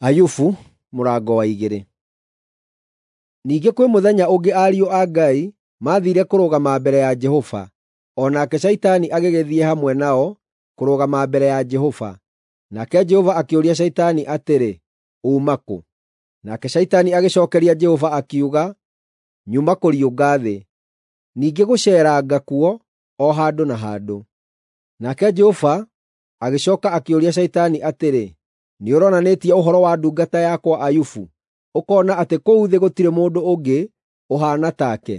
Ayubu mũrango wa 2. Ningĩ kwĩ mũthenya ũngĩ ariũ a Ngai maathiire kũrũgama mbere ya Jehova, o nake Shaitani agĩgĩthiĩ hamwe nao kũrũgama mbere ya Jehova. Nake Jehova akĩũria Shaitani atĩrĩ, “Uuma kũ?” Nake Shaitani agĩcookeria Jehova akiuga, “Nyuma kũriũnga thĩ, ningĩ gũceeranga kuo o handũ na handũ.” Nake Jehova agĩcooka akĩũria Shaitani atĩrĩ, “Nĩũronanĩtie ũhoro wa ndungata yakwa Ayubu, ũkoona atĩ kũu thĩ gũtirĩ mũndũ ũngĩ ũhaana take,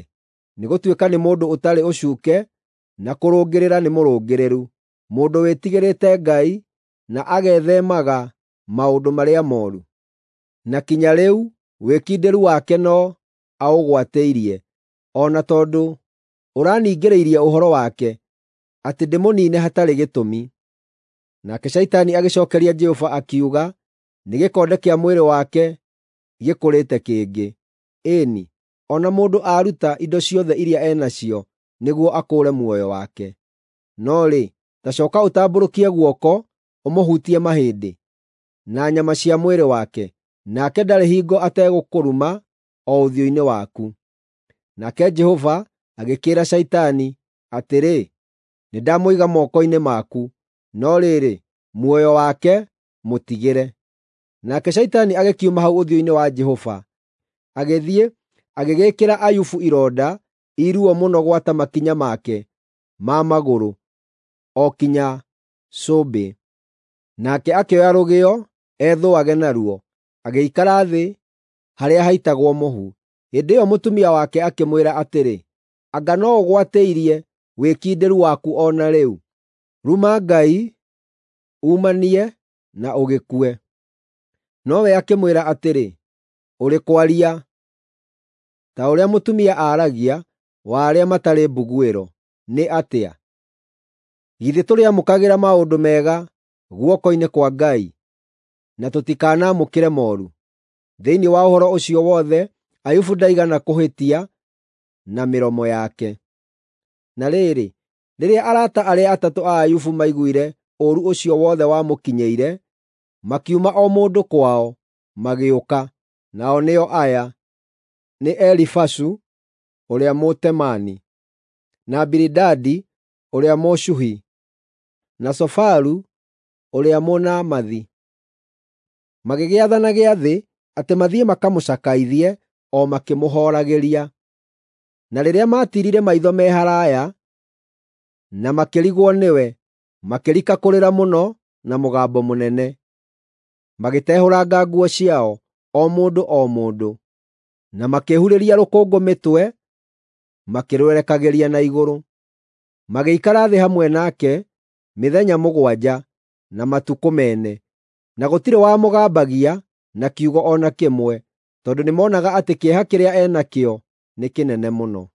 nĩgũtuĩka nĩ mũndũ ũtarĩ ũcuuke na kũrũngĩrĩra nĩ mũrũngĩrĩru, mũndũ wĩtigĩrĩte Ngai na agetheemaga maũndũ marĩa mooru? Na kinya rĩu wĩkindĩru wake no aũgwatĩirie, o na tondũ ũraningĩrĩirie ũhoro wake, atĩ ndĩmũniine hatarĩ gĩtũmi.” Nake Shaitani agĩcookeria Jehova akiuga, “Nĩ gĩkonde kĩa mwĩrĩ wake gĩkũrĩte kĩngĩ. Ĩĩ-ni, o na mũndũ aaruta indo ciothe iria e nacio nĩguo akũũre muoyo wake. No rĩ, ta cooka ũtambũrũkie guoko ũmũhutie mahĩndĩ na nyama cia mwĩrĩ wake, nake ndarĩ hingo ategũkũruma o ũthiũ-inĩ waku.” Nake Jehova agĩkĩĩra Shaitani atĩrĩ, “Nĩndamũiga moko-inĩ maku, no rĩrĩ, muoyo wake mũtigĩre.” Nake Shaitani agĩkiuma hau ũthiũ-inĩ wa Jehova, agĩthiĩ agĩgĩĩkĩra Ayubu ironda i ruo mũno gwata makinya make ma magũrũ o kinya cũmbĩ. Nake akĩoya rũgĩo ethũage naruo, agĩikara thĩ harĩa haitagwo mũhu. Hĩndĩ ĩyo mũtumia wake akĩmwĩra atĩrĩ, “Anga no ũgwatĩirie wĩkindĩru waku o na rĩu? Ruma Ngai uumanie na ũgĩkue.” Nowe akĩmwĩra atĩrĩ, “Ũrĩ kwaria ta ũrĩa mũtumia aaragia wa arĩa matarĩ mbuguĩro nĩ atĩa? Githĩ tũrĩamũkagĩra maũndũ mega guoko-inĩ kwa Ngai, na tũtikanamũkĩre mooru?” Thĩinĩ wa ũhoro ũcio wothe Ayubu ndaigana kũhĩtia na mĩromo yake. Na rĩrĩ, rĩrĩa arata arĩa atatũ a Ayubu maiguire ũũru ũcio wothe wamũkinyĩire, makiuma o mũndũ kwao, magĩũka. Nao nĩo aya: nĩ Elifazu ũrĩa Mũtemaani, na Bilidadi ũrĩa Mũshuhi, na Sofaru ũrĩa Mũnaamathi. Magĩgĩathana gĩathĩ atĩ mathiĩ makamũcakaithie o makĩmũhooragĩria. Na rĩrĩa maatiirire maitho me haraaya na makĩrigwo nĩwe, makĩrika kũrĩra mũno na mũgambo mũnene. Magĩtehũranga nguo ciao, o mũndũ o mũndũ, na makĩhurĩria rũkũngũ mĩtwe makĩrwerekagĩria na igũrũ. Magĩikara thĩ hamwe nake mĩthenya mũgwanja na matukũ mene, na gũtirĩ wamũgambagia na kiugo o na kĩmwe, tondũ nĩmoonaga atĩ kĩeha kĩrĩa e nakĩo nĩ kĩnene mũno.